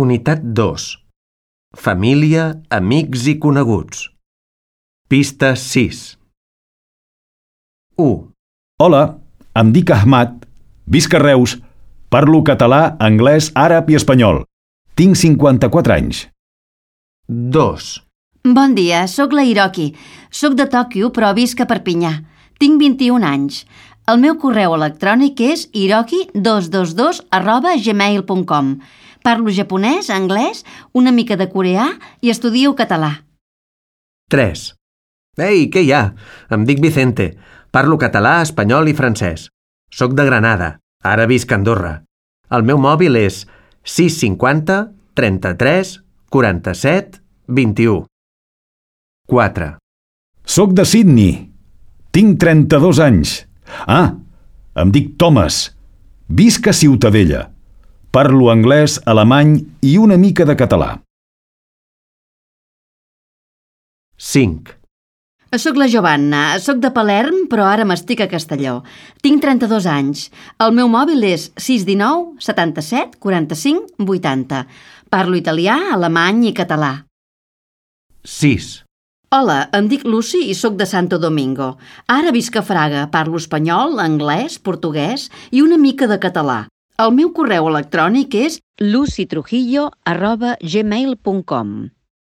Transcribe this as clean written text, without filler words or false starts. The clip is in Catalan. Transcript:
Unitat 2. Família, amics i coneguts. Pista 6. 1, Hola, em dic Ahmad, visc a Reus, parlo català, anglès, àrab i espanyol. Tinc 54 anys. 2, Bon dia, sóc la Hiroki. Sóc de Tòquio, però visc a Perpinyà. Tinc 21 anys. El meu correu electrònic és hiroki222@gmail.com. Parlo japonès, anglès, una mica de coreà i estudio català. 3. Ei, què hi ha? Em dic Vicente. Parlo català, espanyol i francès. Soc de Granada. Ara visc a Andorra. El meu mòbil és 650 33 47 21. 4. Soc de Sydney. Tinc 32 anys. Em dic Thomas. Visc a Ciutadella. Parlo anglès, alemany i una mica de català. 5. Soc la Giovanna. Soc de Palerm, però ara m'estic a Castelló. Tinc 32 anys. El meu mòbil és 619 77 45 80. Parlo italià, alemany i català. 6. Hola, em dic Lucy i sóc de Santo Domingo. Ara visc a Fraga, parlo espanyol, anglès, portuguès i una mica de català. El meu correu electrònic és lucytrujillo@gmail.com.